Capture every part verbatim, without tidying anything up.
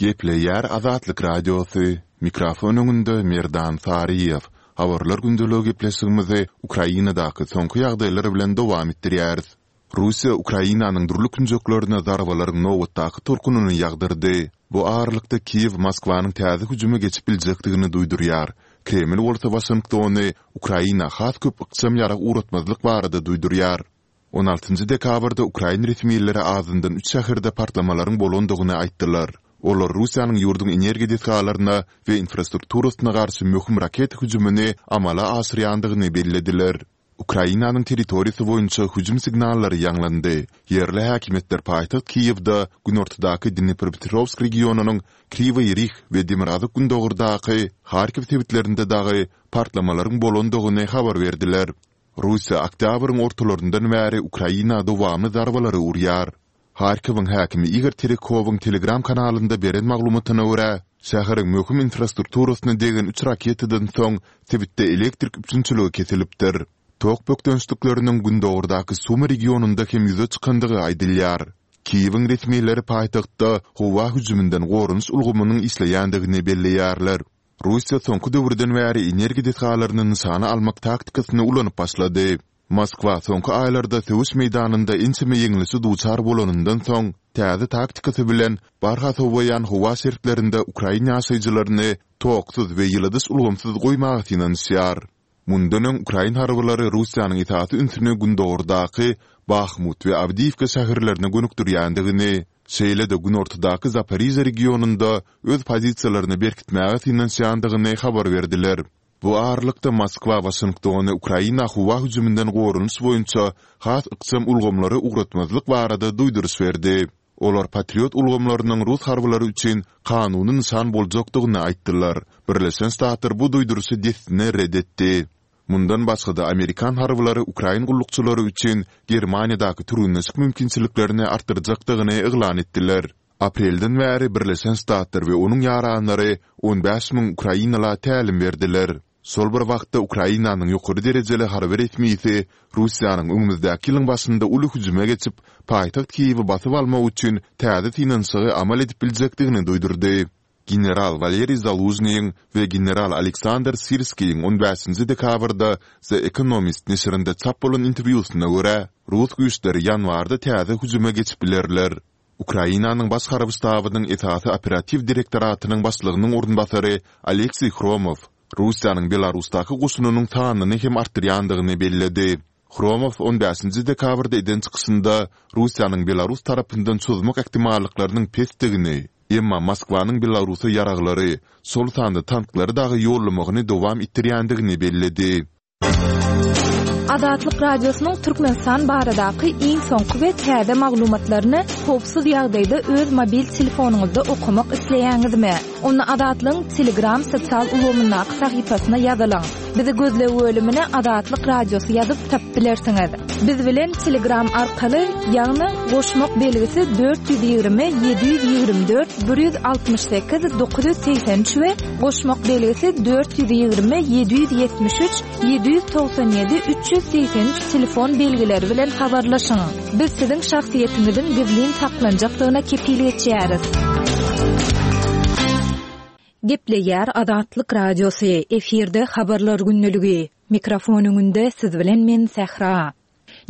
Gepleýär Azatlyk Radiosy, mikrofon öňünde Merdan Saryýew. Habarlar gündeligi gepleşigimizi Ukrainadaky soňky ýagdaýlar bilen dowam etdirýäris. Russiýa Ukrainanyň dürli künjeklerine zarbalaryň nobatdaky tolkunyny ýagdyrdy. Bu aralykda Kiýew Moskwanyň täze hüjüme geçip biljekdigini duýdurýar. Kreml bolsa Waşingtony Ukraina has köp ykjam ýarag ugratmazlyk barada duýdurýar. On altynjy dekabrda ukrain resmileri azyndan üç şäherde partlamalaryň bolandygyny aýtdylar. Olar Russiýanyň ýurduň energiýa desgalaryna we infrastrukturasyna garşy möhüm raketa hüjümini amala aşyrýandygyny bellediler. Ukrainanyň territoriýasy boýunça hüjüm signallary ýaňlandy. Ýerli häkimiýetler paýtagt Kiýewde, günortadaky Dnipropetrowsk regionynyň Kriwoý Rih we demirgazyk-gündogardaky Harkiw sebitlerinde dagy partlamalaryň bolandygyny habar berdiler. Russiýa oktýabryň ortalaryndan bäri Ukraina dowamly zarbalary urýar. Harkowyň häkimi Igor Terekowyň Telegram kanalynda beren maglumatyna görä, şäheriň möhüm infrastrukturasyna degen üç raketadan soň sebitde elektrik üpjünçiligi kesilipdir. Tok bökdençlikleriniň gündogardaky Sumy regionynda hem ýüze çykandygy aýdylýar. Kiýewiň resmileri paýtagtda howa hüjüminden goranyş ulgamynyň işleýändigini belleýärler. Russiýa soňky döwürden bäri energiýa desgalaryny nyşana almak taktikasyny ulanyp başlady. Moskwa soňky aýlarda söweş meýdanynda ençeme ýeňlişe duçar bolanyndan soň, täze taktikasy bilen barha sowaýan howa şertlerinde ukrain ýaşaýjylaryny toksuz we ýyladyş ulgamsyz goýmaga synanyşýar. Mundan öň ukrain harbylary Russiýanyň esasy ünsüni gündogardaky Bahmut we Awdiýiwka şäherlerine gönükdirýändigini, şeýle-de günortadaky Zaporižýa regionynda öz pozisiýalaryny berkitmäge synanyşýandygyny habar berdiler. Bu aralykda, Moskwa Waşingtony Ukraina howa hüjüminden goranyş boýunça has ykjam ulgamlary ugratmazlyk barada duýduryş berdi. Olar Patriot ulgamlarynyň rus harbylary üçin kanuny nyşan boljakdygyny aýtdylar. Birleşen Ştatlar bu duýduryşy dessine ret etdi. Mundan başga-da, amerikan harbylary ukrain gullukçylary üçin Germaniýadaky türgenleşik mümkinçiliklerini artdyrjakdygyny yglan etdiler. Aprelden bäri Birleşen Ştatlar we onuň ýaranlary on bäş müň ukrainala tälim berdiler. Şol bir wagtda, Ukrainanyň ýokary derejeli harby resmisi Russiýanyň öňümizdäki ýylyň başynda uly hüjüme geçip, paýtagt Kiýewi basyp almak üçin täze synanyşygy amal edip biljekdigini duýdurdy. General Waleriý Zalužnyýyň we general Aleksandr Sirskiýiň on bäşinji dekabrda The Economist neşirinde çap bolan interwýusyna görä, rus güýçleri ýanwarda täze hüjüme geçip bilerler. Ukrainanyň Baş harby ştabynyň esasy operatiw direktoratynyň başlygynyň orunbasary Oleksiý Hromow Russiýanyň Belarusdaky goşunynyň sanyny hem artdyrýandygyny belledi. Hromow on bäşinji dekabrda eden çykyşynda Russiýanyň Belarus tarapyndan çozmak ähtimallyklarynyň pesdigini, emma Moskwanyň Belarusa ýaraglary, şol sanda tanklary dagy ýollamagyny dowam etdirýändigini belledi. Azatlyk Radiosynyň Türkmenistan baradaky iň soňky we täze maglumatlaryny howpsuz ýagdaýda öz mobil telefonyňyzda okamak isleýäňizmi? Onda Azatlygyň Telegram sosial ulgamyndaky sahypasyna ýazylyň. Bizi gözleg bölümine Azatlyk Radiosy ýazyp tapyp bilersiňiz. Biz bilen Telegram arkaly, ýagny goşmak belgisi dört ýüz ýigrimi ýedi ýüz ýigrimi dört bir ýüz altmyş sekiz dokuz ýüz segsen üç we goşmak belgisi dört ýüz ýigrimi ýedi ýüz ýetmiş üç ýedi ýüz togsan ýedi üç ýüz segsen üç telefon belgileri bilen habarlaşyň. Biz siziň şahsyýetiňiziň gizlin saklanjakdygyna kepil geçýäris. Gepleýär Azatlyk Radiosy, efirde Habarlar gündeligi. Mikrofon öňünde siz bilen men Sähra.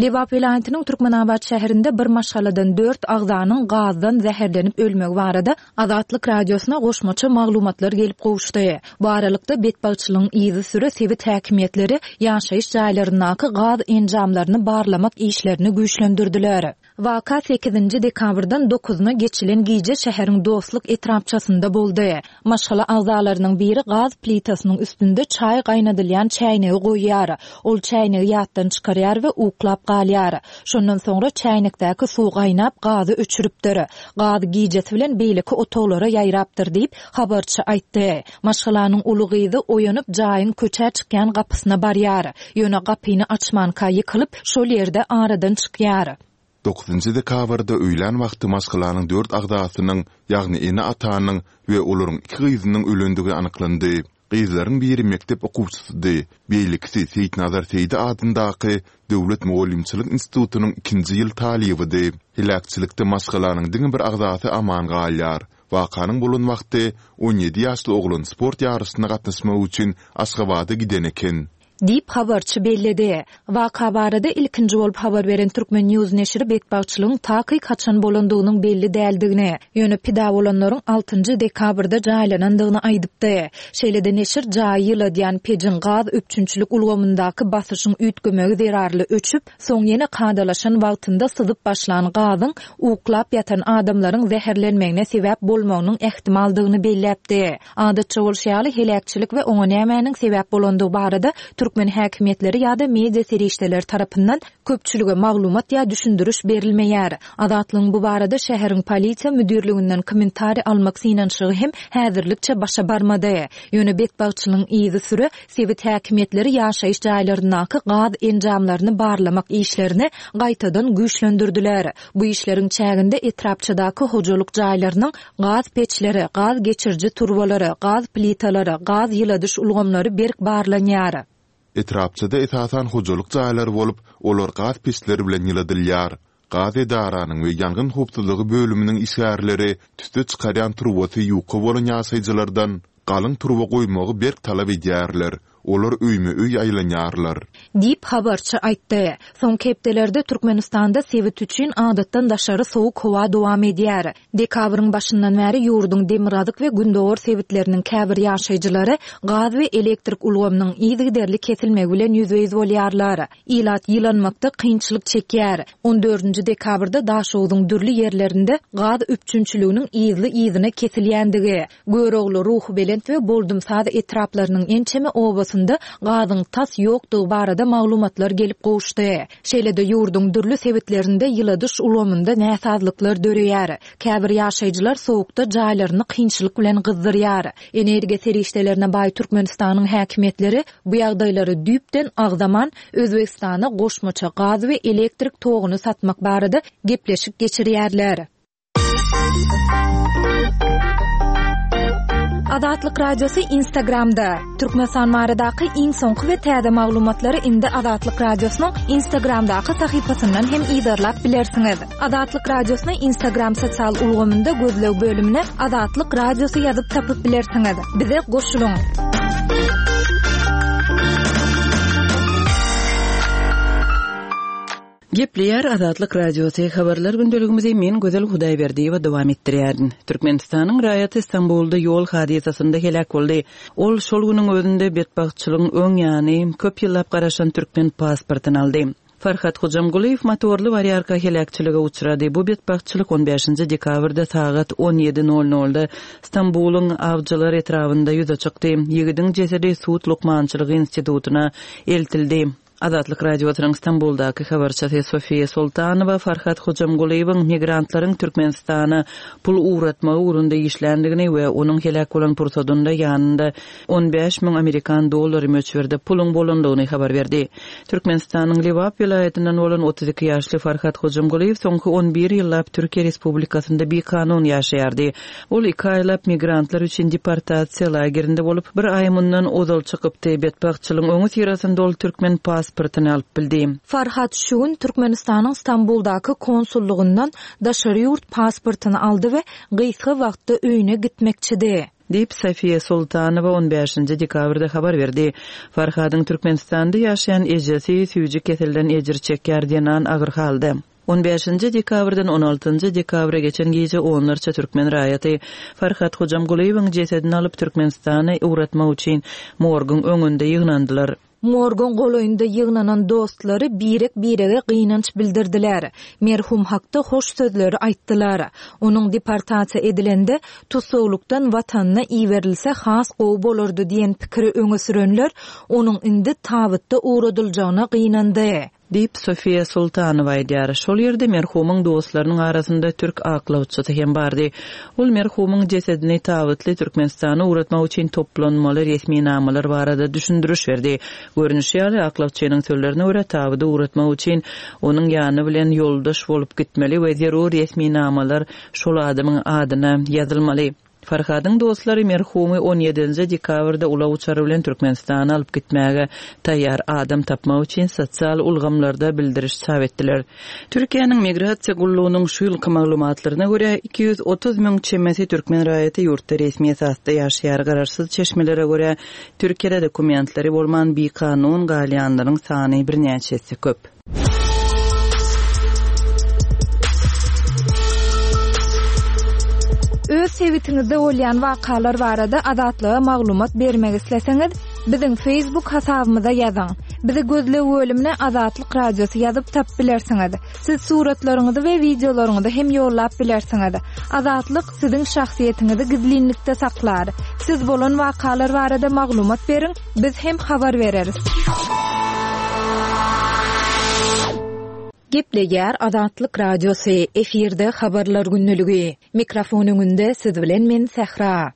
Lebap welaýatynyň Türkmenabat şäherinde bir maşgaladan dört agzanyň gazdan zäherlenip ölmegi barada Azatlyk Radiosyna goşmaça maglumatlar gelip gowuşdy. Bu aralykda, betbagtçylygyň yzysüre sebit häkimiýetleri ýaşaýyş jaýlaryndaky gaz enjamlaryny barlamak işlerini güýçlendirdiler. Waka sekizinji dekabrdan dokuzyna geçilen gije şäheriň Dostluk etrapçasynda boldy. Maşgala agzalarynyň biri gaz plitasynyň üstünde çaý gaýnadylýan çäýnegi goýýar. Ol çäýnegi ýatdan çykarýar we uklap galýar. Şondan soňra çäýnekdäki suw gaýnap, gazy öçüripdir. Gaz gijesi bilen beýleki otaglara ýaýrapdyr diýip, habarçy aýtdy. Maşgalanyň uly gyzy oýanyp, jaýyň köçä çykýan gapysyna barýar. Ýöne gapyny açmanka ýykylyp, şol ýerde aradan çykýar. Dokuzynjy dekabrda öýlän wagty maşgalanyň dört agzasynyň, ýagny ene-atanyň we olaryň iki gyzynyň ölendigi anyklandy. Gyzlaryň biri mekdep okuwçysydy, beýlekisi Seýitnazar Seýdi adyndaky Döwlet mugallymçylyk institutynyň ikinji ýyl talybydy. Heläkçilikde maşgalanyň diňe bir agzasy aman galýar. Wakanyň bolan wagty on ýedi ýaşly oglan sport ýaryşyna gatnaşmak üçin Aşgabada giden eken. Diýip, habarçy belledi. Waka barada ilkinji bolup habar beren Turkmen News neşiri betbagtçylygyň takyk haçan bolandygynyň belli däldigini, ýöne pida bolanlaryň altynjy dekabrda jaýlanandygyny aýdypdy. Şeýle-de neşir jaýy ýyladýan pejiň gaz üpjünçilik ulgamyndaky basyşyň üýtgemegi zerarly öçüp, soň ýene kadalaşan wagtynda syzyp başlan gazyň uklap ýatan adamlaryň zäherlenmegine sebäp bolmagynyň ähtimaldygyny belläpdi. Adatça bolşy ýaly, heläkçilik we oňa nämäniň sebäp bolandygy barada türkmen häkimiýetleri ýa-da media serişdeleri tarapyndan köpçülige maglumat ýa düşündiriş berilmeýär. Azatlygyň bu barada şäheriň polisiýa müdirliginden kommentariý almak synanyşygy hem häzirlikçe başa barmady. Ýöne betbagtçylygyň yzysüre sebit häkimiýetleri ýaşaýyş jaýlaryndaky gaz enjamlaryny barlamak işlerini gaýtadan güýçlendirdiler. Bu işleriň çäginde etrapçadaky hojalyk jaýlarynyň gaz peçleri, gaz geçiriji turbalary, gaz plitalary, gaz ýyladyş ulgamlary berk barlanýar. Etrapçada esasan hojalyk jaýlary bolup, olar gaz peçleri bilen ýyladylýar. Gaz edaranyň we ýangyn howpsuzlygy bölüminiň işgärleri tüsse çykarýan turbasy ýuka bolan ýaşaýjylardan galyň turba goýmagy berk talap edýärler. Olar öýme-öý aýlanýarlar. Diýip, habarçy aýtdy. Soňky hepdelerde Türkmenistanda sebit üçin adatdan daşary sowuk howa dowam edýär. Dekabryň başyndan bäri ýurduň demirgazyk we gündogar sebitleriniň käbir ýaşaýjylary gaz we elektrik ulgamynyň yzygiderli kesilmegi bilen ýüzbe-ýüz bolýarlar. Ilat ýylanmakda kynçylyk çekýär. On dördünji dekabrda Daşogzuň dürli ýerlerinde gaz üpjünçiliginiň yzly-yzyna kesilýändigi, Görogly, Ruhubelent we Boldumsaz etraplarynyň ençeme obasynda gazyň tas ýokdugy barada maglumatlar gelip gowuşdy. Şeýle-de ýurduň dürli sebitlerinde ýyladyş ulgamynda näsazlyklar döreýär. Käbir ýaşaýjylar sowukda jaýlaryny kynçylyk bilen gyzdyrýar. Energiýa serişdelerine baý Türkmenistanyň häkimiýetleri bu ýagdaýlary düýpden agzaman, Özbegistana goşmaça gaz we elektrik toguny satmak barada gepleşik geçirýärler. Azatlyk Radiosy Instagramda. Türkmenistan baradaky iň soňky we täze maglumatlary indi Azatlyk Radiosynyň Instagramdaky sahypasyndan hem yzarlap bilersiňiz. Azatlyk Radiosyny Instagram sosial ulgamynda gözleg bölümine Azatlyk Radiosy ýazyp tapyp bilersiňiz. Bize goşulyň! Gepleýär Azatlyk Radiosy, Habarlar gündeligimizi men Gözel Hudaýberdiýewa dowam etdirýärin. Türkmenistanyň raýaty Stambulda ýol hadysasynda heläk boldy. Ol şol günüň özünde betbagtçylygyň öň ýany köp ýyllap garaşan türkmen pasportyny aldy. Farhat Hojamgulyýew motorly barýarka heläkçilige uçrady. Bu betbagtçylyk on bäşinji dekabrda sagat on ýedi nol nolda Stambulyň Awjylar etrabynda ýüze çykdy. Ýigidiň jesedi sud lukmançylygy institutyna eltildi. Azatlyk Radiosynyň Stambuldaky habarçysy Sofiýa Sultanowa Farhat Hojamgulyýewiň migrantlaryň Türkmenistana pul ugratmagy ugrunda işländigini we onuň heläk bolan pursadynda ýanynda on bäş müň amerikan dollary möçberde puluň bolandygyny habar berdi. Türkmenistanyň Lebap welaýatyndan bolan otuz iki ýaşly Farhat Hojamgulyýew soňky on bir ýyllap Türkiýe Respublikasynda bikanun ýaşaýardy. Ol iki aýlap migrantlar üçin deportasiýa lagerinde bolup, bir aý mundan ozal çykypdy. Betbagtçylygyň öňüsyrasynda ol türkmen pasportyny alyp bildi. Farhat şu gün Türkmenistanyň Stambuldaky konsullygyndan daşary ýurt pasportyny aldy we gysga wagtda öýüne gitmekçidi. Diýip, Sofiýa Sultanowa on bäşinji dekabrda habar berdi. Farhadyň Türkmenistanda ýaşaýan ejesi süýji keselden ejir çekýär, zenan agyr halda. On bäşinji dekabrdan on altynjy dekabra geçen gije onlarça türkmen raýaty Farhat Hojamgulyýewiň jesedini alyp Türkmenistana ugratmak üçin morguň öňünde ýygnandylar. Morguň golaýynda ýygnanan dostlary birek-birege gynanç bildirdiler. Merhum hakda hoş sözleri aýtdylar. Onuň deportasiýa edilende tussaglykdan watanyna iberilse has gowy bolardy diýen pikiri öňe sürenler onuň indi tabytda ugradyljagyna gynandy. Diýip, Sofiýa Sultanowa aýdýar. Şol ýerde merhumyň dostlarynyň arasynda türk aklawçysy hem bardy. Ol merhumyň jesedini tabytly Türkmenistana ugratmak üçin toplanmaly resminamalar barada düşündiriş berdi. Görnüşi ýaly, aklawçynyň sözlerine görä, tabydy ugratmak üçin onuň ýany bilen ýoldaş bolup gitmeli we zerur resminamalar şol adamyň adyna ýazylmaly. Farhadyň dostlary merhumy on ýedinji dekabrda ulag uçary bilen Türkmenistana alyp gitmäge taýýar adam tapmak üçin sosial ulgamlarda bildiriş çap etdiler. Türkiýäniň Migrasiýa gullugynyň şu ýylky maglumatlaryna görä, iki ýüz otuz müň çemesi türkmen raýaty ýurtda resmi esasda ýaşaýar. Garaşsyz çeşmelere görä, Türkiýede dokumentleri bolman bikanun galýanlaryň sany birnäçe esse köp. Öz sebitiňizde bolýan wakalar barada Azatlyga maglumat bermek isleseňiz, biziň Facebook hasabymyza ýazyň. Bizi gözleg bölümine Azatlyk Radiosy ýazyp tapyp bilersiňiz. Siz suratlaryňyzy we wideolaryňyzy hem ýollap bilersiňiz. Azatlyk siziň şahsyýetiňizi gizlinlikde saklar. Siz bolan wakalar barada maglumat beriň, biz hem habar bereris. Gepleýär Azatlyk Radiosy, efirde habarlar gündeligi. Mikrofon öňünde siz bilen men Sähra.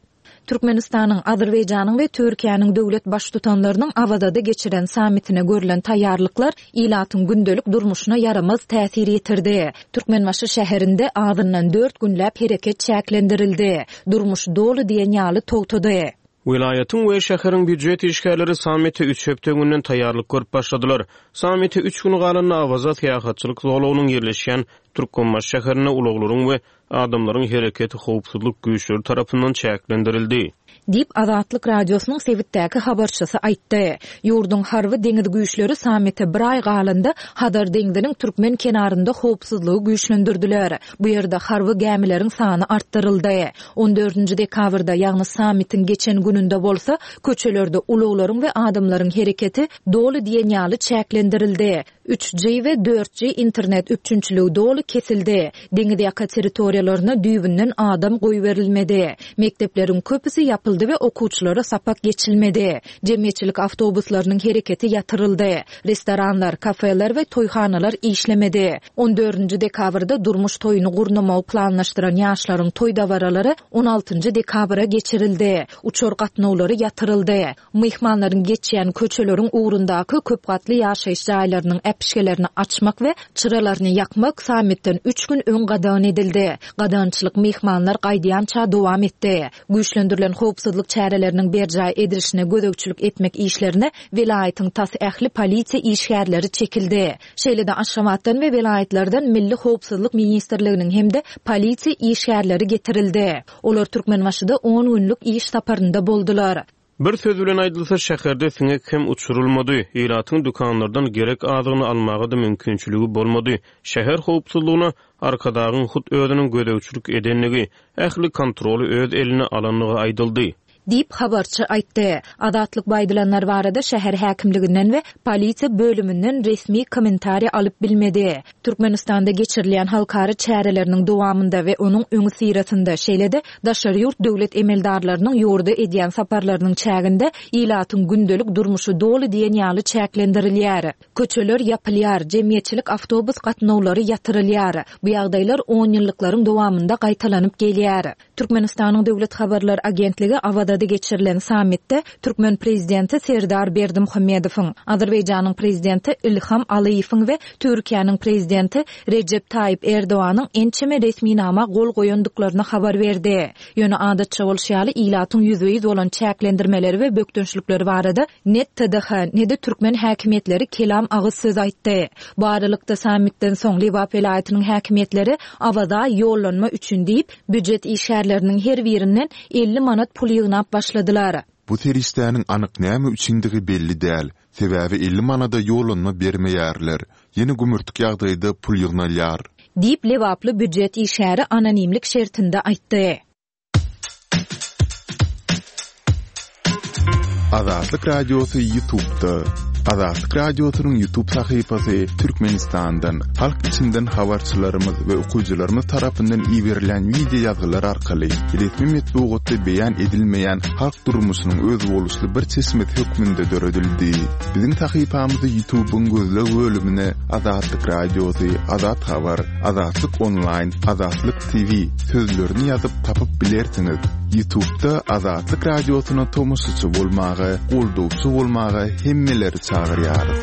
Türkmenistanyň, Azerbaýjanyň we Türkiýäniň döwlet baştutanlarynyň Awazada geçiren sammitine görülen taýýarlyklar ilatyň gündelik durmuşyna ýaramaz täsir ýetirdi. Türkmenbaşy şäherinde azyndan dört günläp hereket çäklendirildi. Durmuş doly diýen ýaly togtady. Welaýatyň we şäheriň býujet işgärleri sammite üç hepde öňünden taýýarlyk görüp başladylar. Sammite üç gün galanda Awaza syýahatçylyk zolagynyň ýerleşýän Türkmenbaşy şäherinde ulaglaryň we adamlaryň hereketi howpsuzlyk güýçleri tarapyndan çäklendirildi. Diýip, Azatlyk Radiosynyň sebitdäki habarçysy aýtdy. Ýurduň harby deňiz güýçleri sammite bir aý galanda Hazar deňziniň türkmen kenarynda howpsuzlygy güýçlendirdiler. Bu ýerde harby gämileriň sany artdyryldy. On dördünji dekabrda, ýagny sammitiň geçen gününde bolsa, köçelerde ulaglaryň we adamlaryň hereketi doly diýen ýaly çäklendirildi. Üç G we dört G internet üpjünçiligi doly kesildi. Deňiz ýaka territoriýalaryna düýbünden adam goýberilmedi. Mekdepleriň köpüsi ýapyldy we okuwçylara sapak geçilmedi. Jemgyýetçilik awtobuslarynyň hereketi ýatyryldy. Restoranlar, kafeler we toýhanalar işlemedi. On dördünji dekabrda durmuş toýuny gurnamagy planlaşdyran ýaşlaryň toý dabaralary on altynjy dekabra geçirildi. Uçar gatnawlary ýatyryldy. Myhmanlaryň geçýän köçeleriň ugrundaky köp gatly ýaşaýyş jaýlarynyň äpişgelerini açmak we çyralaryny ýakmak sammitden üç gün öň gadagan edildi. Gadagançylyk myhmanlar gaýdýança dowam etdi. Güýçlendirilen howpsuzlyk çäreleriniň berjaý edilişine gözegçilik etmek işlerine welaýatyň tas ähli polisiýa işgärleri çekildi. Şeýle-de Aşgabatdan we welaýatlardan Milli Howpsuzlyk Ministrliginiň hem-de polisiýa işgärleri getirildi. Olar Türkmenbaşyda on günlük iş saparynda boldular. Bir söz bilen aýdylsa, şäherde siňek hem uçurylmady. Ilatyň dükanlardan gerek azygyny almaga da mümkinçiligi bolmady. Şäher howpsuzlygyna Arkadagyň hut özüniň gözegçilik edenligi, ähli kontroly öz eline alanlygy aýdyldy. Diýip habarçy aýtdy. Azatlyk baýdylanlar barada şäher häkimliginden we polisiýa bölüminden resmi kommentariýa alyp bilmedi. Türkmenistanda geçirilýän halkara çäreleriniň dowamynda we onuň öňi syrasynda, şeýle-de daşary ýurt döwlet emeldarlarynyň ýurda edýän saparlarynyň çäginde ilatyň gündelik durmuşy doly diýen ýaly çäklendirilýär. Köçeler ýapylýar, jemgyýetçilik awtobus gatnawlary ýatyrylýar. Bu ýagdaýlar on ýyllyklaryň dowamynda gaýtalanyp gelýär. Türkmenistanyň Döwlet Habarlar Agentligi Awazada geçirilen sammitde Türkmen prezidenti Serdar Berdimuhamedowyň, Azerbaýjanyň prezidenti Ilham Aliýewiň we Türkiýäniň prezidenti Rejep Taýyp Erdoganyň ençeme resminama gol goýandyklaryny habar berdi. Ýöne adatça bolşy ýaly ilatyň ýüzbe-ýüz bolan çäklendirmeleri we bökdençlikleri barada ne T D H, ne de türkmen häkimiýetleri kelam agyz söz aýtdy. Bu aralykda sammitden soň Lebap welaýatynyň häkimiýetleri Awaza ýollanma üçin diýip, býujet işgärleriniň her birinden elli manat pul ýygnap başladylar. Bu serişdäniň anyk näme üçindigi belli däl. Sebäbi elli manada ýollanma bermeýärler. Ýene gümürtik ýagdaýda pul ýygnalýar. Diýip Lebaply býujet işgäri anonimlik şertinde aýtdy. Azatlyk Radiosy YouTube'da. Azatlyk Radiosynyň YouTube sahypasy Türkmenistandan, halk içinden habarçylarymyz we okyjylarymyz tarapyndan iberilen video ýazgylar arkaly resmi metbugatda beýan edilmeýän halk durmuşynyň özboluşly bir çeşmesi hökmünde döredildi. Biziň sahypamyzy YouTube'yň gözleg bölümine Azatlyk Radiosy, Azat Habar, Azatlyk Online, Azatlyk T V sözlerini ýazyp tapyp bilersiňiz. YouTube'da Azatlyk Radiosyna tomaşaçy bolmaga, goldawçy bolmaga hemmeleri çagyrýarys.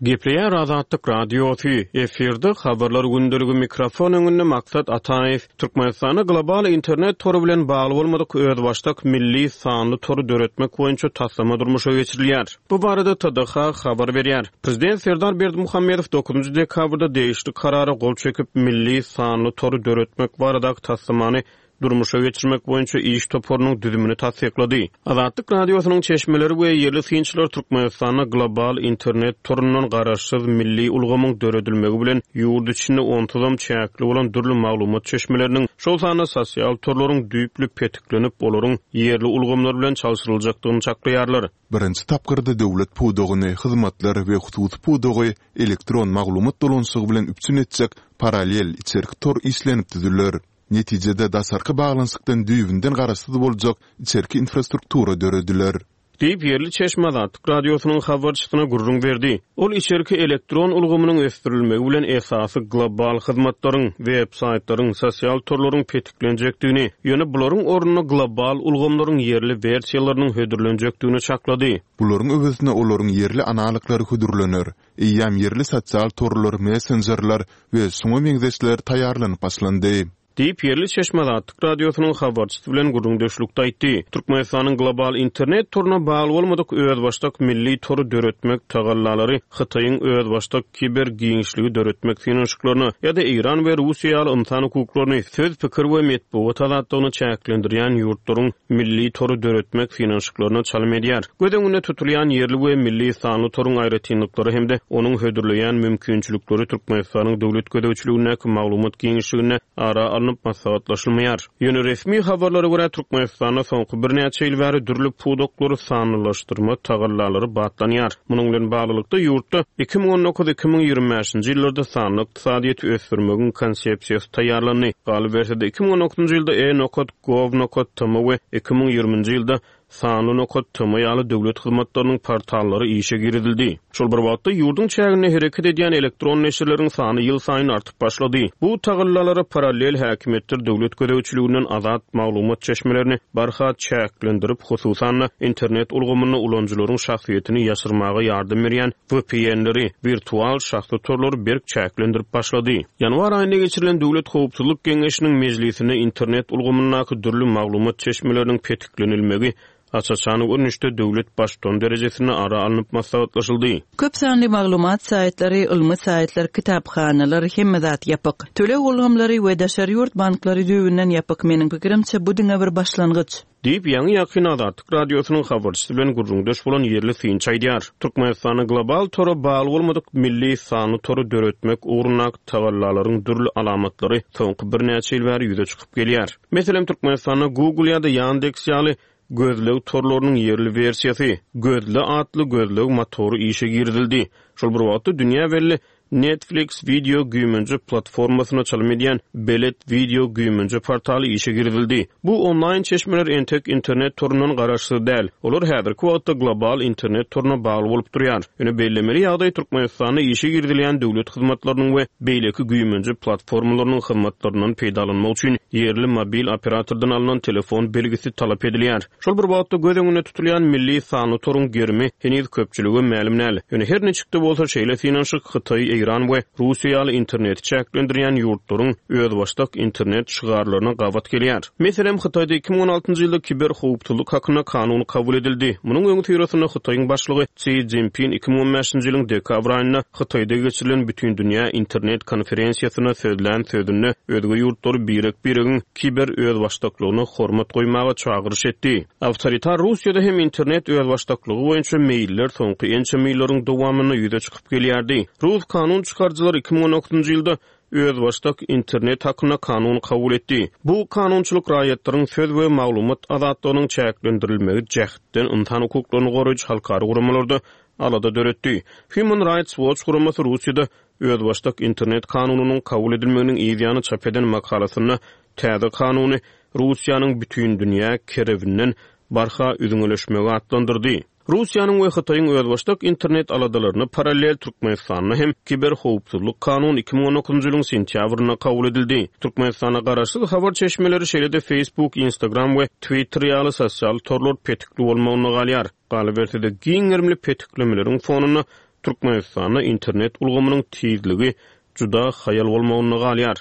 Gepleýär Azatlyk Radiosy, efirde Habarlar gündeligi, mikrofon öňünde Maksat Ataýew. Türkmenistanda global internet tory bilen bagly bolmadyk özbaşdak milli sanly tory döretmek boýunça taslama durmuşa geçirilýär. Bu barada T D H habar berýär. Prezident Serdar Berdimuhamedow dokuzynjy dekabrda degişli karara gol çekip, milli sanly tory döretmek baradaky taslamany durmuşa geçirmek boýunça iş toparynyň düzümini tassyklady. Azatlyk Radiosynyň çeşmeleri we ýerli synçylar Türkmenistanda global internet torundan garaşsyz milli ulgamyň döredilmegi bilen ýurt içinde onsuzam çäkli bolan dürli maglumat çeşmeleriniň, şol sanda sosial torlaryň düýpli petiklenip, olaryň ýerli ulgamlar bilen çalşyryljakdygyny çaklaýarlar. Birinji tapgyrda döwlet pudagyny, hyzmatlar we hususy pudagy elektron maglumat dolanyşygy bilen üpjün etjek parallel içerki tor işlenip düzüler. Netijede daşarky baglanyşykdan düýbünden garaşsyz boljak içerki infrastruktura dörediler. Diýip, ýerli çeşme Azatlyk Radiosynyň habarçysyna gürrüň berdi. Ol içerki elektron ulgamynyň ösdürilmegi bilen esasy global hyzmatlaryň, web saýtlaryň, sosial torlaryň petiklenjekdigini, ýöne bularyň ornuna global ulgamlaryň ýerli wersiýalarynyň hödürlenjekdigini çaklady. Bularyň öwezine olaryň ýerli analoglary hödürlener. Eýýäm ýerli sosial torlar, messenjerler we şuňa meňzeşler taýýarlanyp başlandy. Diýip, ýerli çeşme Azatlyk Radiosynyň habarçysy bilen gürrüňdeşlikde aýtdy. Türkmenistanyň global internet toruna bagly bolmadyk özbaşdak milli tory döretmek tagallalary Hytaýyň özbaşdak kiber giňişligi döretmek synanyşyklaryna ýa-da Eýran we Russiýa ýaly ynsan hukuklaryny, söz, pikir we metbugat azatlygyny çäklendirýän ýurtlaryň milli tory döretmek synanyşyklaryna çalym edýär. Göz öňünde tutulýan ýerli we milli sanly toruň aýratynlyklary hem-de onuň hödürleýän mümkinçilikleri Türkmenistanyň döwlet gözegçiligindäki maglumat giňişliginde ara alnyp maslahatlaşylmaýar. Ýöne resmi habarlara görä, Türkmenistanda soňky birnäçe ýyl bäri dürli pudaklary sanlylaşdyrma tagallalary batlanýar. Munuň bilen baglylykda ýurtda iki müň on dokuz-iki müň ýigrimi bäşinji ýyllarda sanly ykdysadyýeti ösdürmegiň konsepsiýasy taýýarlandy. Galyberse-de, iki müň on dokuzynjy ýylda e nokat gov nokat tm we iki müň ýigriminji ýylda sanly nokat tm ýaly döwlet hyzmatlarynyň portallary işe girizildi. Şol bir wagtda ýurduň çäginde hereket edýän elektron neşirleriň sany ýylsaýyn artyp başlady. Bu tagallalara parallel häkimiýetler döwlet gözegçiliginden azat maglumat çeşmelerini barha çäklendirip, hususan-da internet ulgamynda ulanyjylaryň şahsyýetini ýaşyrmaga ýardam berýän V P N-leri, wirtual şahsy torlary berk çäklendirip başlady. Ýanwar aýynda geçirilen Döwlet howpsuzlyk geňeşiniň mejlisinde internet ulgamyndaky dürli maglumat çeşmeleriniň petiklenilmegi aç-açan görnüşde döwlet baştutany derejesinde ara alnyp maslahatlaşyldy. Köp sanly maglumat saýtlary, ylmy saýtlar, kitaphanalar, hemme zat ýapyk. Töleg ulgamlary we daşary ýurt banklary düýbünden ýapyk. Meniň pikirimçe, bu diňe bir başlangyç. Diýip, ýaňy ýakyn Azatlyk Radiosynyň habarçysy bilen gürrüňdeş bolan ýerli synçy aýdýar. Türkmenistanda global tora bagly bolmadyk milli sanly tory döretmek ugrundaky tagallalaryň dürli alamatlary soňky birnäçe ýyl bäri ýüze çykyp gelýär. Meselem, Türkmenistanda Google ýa-da Yandex ýaly gözleg torlarynyň ýerli wersiýasy, Gözle atly gözleg motory işe girizildi. Şol bir wagtda dünýä belli Netflix video güýmenje platformasyna çalym edýän Belet video güýmenje portaly işe girizildi. Bu onlaýn çeşmeler entek internet torundan garaşsyz däl. Olar häzirki wagtda global internet toruna bagly bolup durýar. Ýöne bellemeli ýagdaý, Türkmenistanda işe girizilýän döwlet hyzmatlarynyň we beýleki güýmenje platformalarynyň hyzmatlaryndan peýdalanmak üçin ýerli mobil operatordan alnan telefon belgisi talap edilýär. Şol bir wagtda göz öňünde tutulýan milli sanly toruň gerimi heniz köpçülige mälim däl. Ýöne her niçik-de bolsa, şeýle synanyşyk Hytaý, Eýran we Russiýa ýaly interneti çäklendirýän ýurtlaryň özbaşdak internet şygarlaryna gabat gelýär. Meselem, Hytaýda iki müň on altynjy ýylda kiber howpsuzlyk hakynda kanun kabul edildi. Munuň öňüsyrasynda Hytaýyň başlygy Si Szinpin iki müň on bäşinji ýylyň dekabr aýynda Hytaýda geçirilen Bütindünýä internet konferensiýasynda sözlän sözünde özge ýurtlary birek-biregiň kiber özbaşdaklygyna hormat goýmaga çagyryş etdi. Awtoritar Russiýada hem internet özbaşdaklygy boýunça meýiller soňky ençeme ýyllaryň dowamynda ýüze çykyp gelýärdi. Rus kanun çykaryjylary iki müň on dokuzynjy ýylda özbaşdak internet hakynda kanun kabul etdi. Bu kanunçylyk raýatlaryň söz we maglumat azatlygynyň çäklendirilmegi jähtden ynsan hukuklaryny goraýjy halkara guramalarda alada döretdi. Human Rights Watch guramasy Russiýada özbaşdak internet kanunynyň kabul edilmeginiň yzýany çap eden makalasynda täze kanuny Russiýanyň bütün dünýä kerebinden barha üzňeleşmegi atlandyrdy. Russiýanyň we Hytaýyň özbaşdak internet aladalaryna parallel Türkmenistanda hem kiber howpsuzlyk kanuny iki müň on dokuzynjy ýylyň sentýabrynda kabul edildi. Türkmenistanda garaşsyz habar çeşmeleri, şeýle-de Facebook, Instagram we Twitter ýaly sosial torlar petikli bolmagynda galýar. Galyberse-de, giň gerimli petiklemeleriň fonunda Türkmenistanda internet ulgamynyň tizligi juda haýal bolmagynda galýar.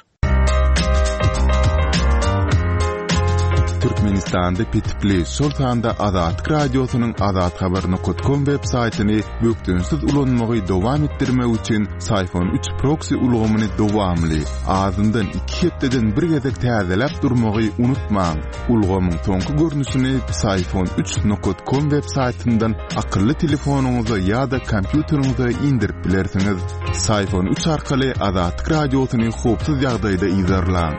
Türkmenistanda petikli, şol sanda Azatlyk Radiosynyň azathabar nokat kom web saýtyny bökdençsiz ulanmagy dowam etdirmek üçin Syfon üç proksi ulgamyny dowamly, azyndan iki hepdeden bir gezek täzeläp durmagy unutmaň. Ulgamyň soňky görnüşini Syfon üç nokat kom web saýtyndan akylly telefonyňyza ýa-da kompýuteriňize indirip bilersiňiz. Syfon üç arkaly Azatlyk Radiosyny howpsuz ýagdaýda yzarlaň.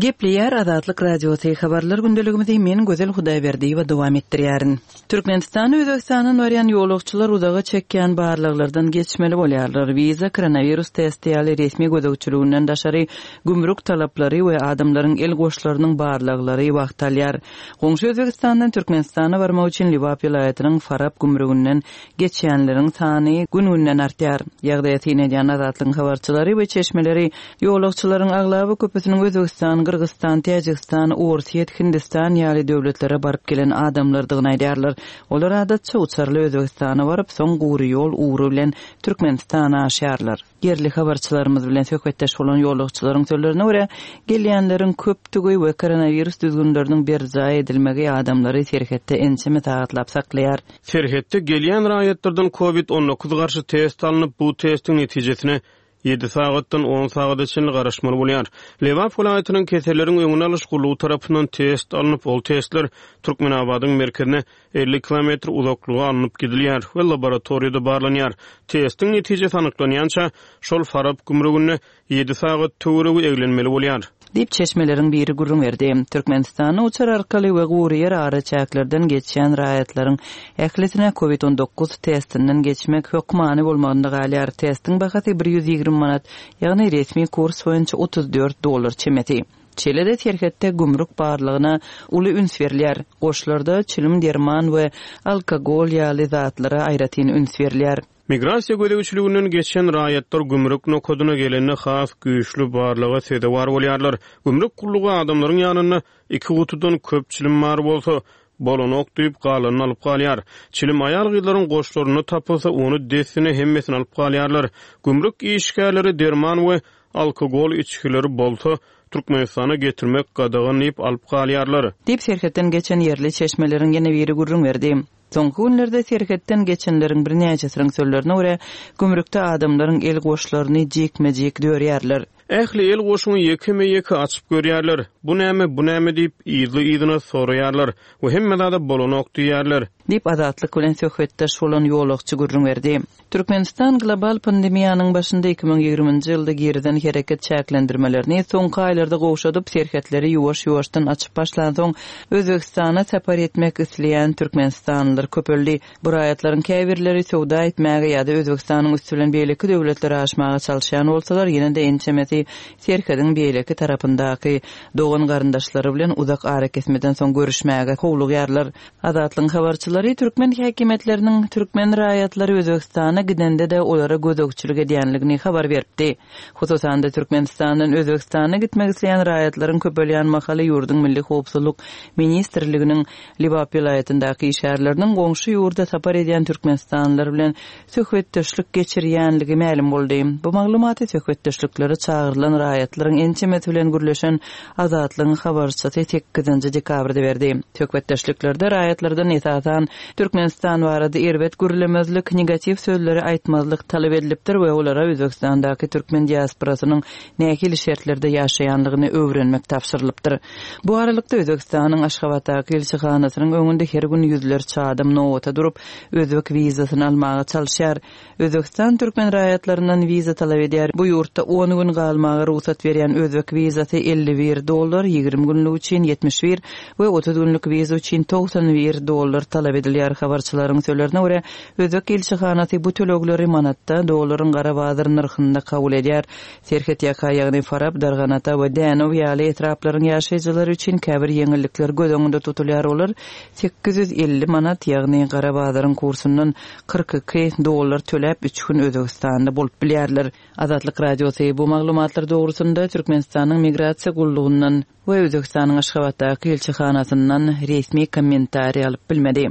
Gepleýär Azatlyk Radiosy habarlar gündeligimizi men Gözel Hudaýberdiýewa dowam etdirýärin. Türkmenistan Özbegistandan barýan ýolagçylar uzaga çekýän barlaglardan geçmeli bolýarlar. Wiza, koronawirus testi ýaly resmi gözegçiliginden daşary gümrük talaplary we adamlaryň el goşlarynyň barlaglary wagt alýar. Goňşy Özbegistandan Türkmenistana barmak üçin Lebap welaýatynyň Farap gümrüginden geçýänleriň sany gün-günden artýar. Ýagdaýa syn edýän Azatlygyň habarçylary we çeşmeleri ýolagçylaryň aglaba köpüsiniň Özbegistan, Gyrgyzystan, Täjigistan, Orsýet, Hindistan ýaly döwletlere baryp gelen adamlardygyny aýdýarlar. Olar adatça uçarly Özbegistana baryp, soň gury ýol ugry bilen Türkmenistana aşýarlar. Ýerli habarçylarymyz bilen söhbetdeş bolan ýolagçylaryň sözlerine görä, gelýänleriň köpdügi we koronawirus düzgünleriniň berjaý edilmegi adamlary serhetde ençeme sagatlap saklaýar. Serhetde gelýän raýatlardan COVID on dokuz garşy test alnyp, bu testiň netijesine ýedi sagatdan on sagada çenli garaşmaly bolýar. Lebap welaýatynyň keselleriň öňüni alyş gullugy tarapyndan test alnyp, ol testler Türkmenabadyň merkezine elli kilometr uzaklyga alnyp gidilýär we laboratoriýada barlanýar. Testiň netijesi anyklanýança şol Farap gümrüginde ýedi sagat töweregi eglenmeli bolýar. Diýip çeşmeleriň biri gürrüň berdi. Türkmenistanda uçar arkaly we gury ýer araçäklerden geçýän raýatlaryň ählisine COVID on dokuz testinden geçmek hökmany bolmagynda galýar. Testiň bahasy bir ýüz ýigrimi manat, ýagny resmi kurs boýunça otuz dört dollar çemesi. Şeýle-de serhetde gümrük barlygyna uly üns berilýär. Goşlarda çilim, derman we alkogol ýaly zatlara aýratyn üns berilýär. Migrasiýa gözegçiliginden geçen raýatlar gümrük nokadyna gelende has güýçli barlyga sezewar bolýarlar. Gümrük gullugy adamlaryň ýanynda iki gutudan köp çilim bar bolsa, bolanok diýip galanyny alyp galýar. Çilim aýal gyzlaryň goşlarynda tapylsa, ony dessine hemmesini alyp galýarlar. Gümrük işgärleri derman we alkogol içgileri bolsa, Türkmenistana getirmek gadagan diýip alyp galýarlar. Diýip serhetden geçen ýerli çeşmeleriň ýene biri gürrüň berdi. Soňky günlerde serhetden geçenleriň birnäçesiniň sözlerine görä, gümrükde adamlaryň el goşlaryny jikme-jik dörýärler. Ähli el goşuny ýekeme-ýeke açyp görýärler. Bu näme, bu näme diýip yzly-yzyna soraýarlar we hemme zada bolanok diýýärler. Diýip Azatlyk bilen söhbetdeş bolan ýolagçy gürrüň berdi. Türkmenistan global pandemiýanyň başynda iki müň ýigriminji ýylda girizen hereket çäklendirmelerini soňky aýlarda gowşadyp, serhetleri ýuwaş-ýuwaşdan açyp başlan soň Özbegistana sapar etmek isleýän türkmenistanlylar köpeldi. Bu raýatlaryň käbirleri söwda etmäge ýa-da Özbegistanyň üsti bilen beýleki döwletlere aşmaga çalyşýan bolsalar, ýene-de ençemesi serhediň beýleki tarapyndaky dogan garyndaşlary bilen uzak arakesmeden soň görüşmäge howlugýarlar. Azatlygyň habarçylary türkmen häkimiýetleriniň türkmen raýatlary Özbegistana gidende de olara gözegçilik edýänligini habar beripdi. Hususan-da Türkmenistandan Özbegistana gitmek isleýän raýatlaryň köpelýän mahaly ýurduň Milli Howpsuzlyk Ministrliginiň Lebap welaýatyndaky işgärleriniň goňşy ýurda sapar edýän türkmenistanlylar bilen söhbetdeşlik geçirýänligi mälim boldy. Bu maglumaty söhbetdeşliklere çagyrylan raýatlaryň ençemesi bilen gürleşen Azatlygyň habarçysy sekizinji dekabrda berdi. Söhbetdeşliklerde raýatlardan esasan Türkmenistan barada erbet gürlemezlik, negatiw sözleri aýtmazlyk talap edilipdir we olara Özbegistandaky türkmen diasporasynyň nähili şertlerde ýaşaýanlygyny öwrenmek tabşyrylypdyr. Bu aralykda Özbegistanyň Aşgabatdaky ilçihanasynyň öňünde her gün ýüzlerçe adam nobata durup, özbek wizasyny almaga çalyşýar. Özbegistan türkmen raýatlaryndan wiza talap edýär. Bu ýurtda on gün galmaga rugsat berýän özbek wizasy elli bir dollar, ýigrimi günlük üçin ýetmiş bir we otuz günlük wiza üçin togsan bir dollar talap edilýär. Habarçylaryň sözlerine görä, özbek ilçihanasy bu tölegleri manatda dollaryň gara bazar nyrhynda kabul edýär. Serhet ýaka, ýagny Farap, Darganata we Dänow ýaly etraplaryň ýaşaýjylary üçin käbir ýeňillikler göz öňünde tutulýar. Olar sekiz ýüz elli manat, ýagny gara bazaryň kursundan kyrk iki dollar töläp üç gün Özbegistanda bolup bilýärler. Azatlyk Radiosy bu maglumatlar dogrusynda Türkmenistanyň Migrasiýa gullugyndan we Özbegistanyň Aşgabatdaky ilçihanasyndan resmi kommentariý alyp bilmedi.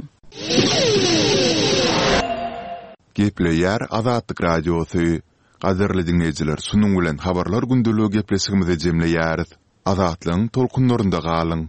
Gepleýär Azatlyk Radiosy. Gadyrly diňleýjiler, şunuň bilen Habarlar gündeligi gepleşigimizi jemleýäris. Azatlygyň tolkunlarynda galyň!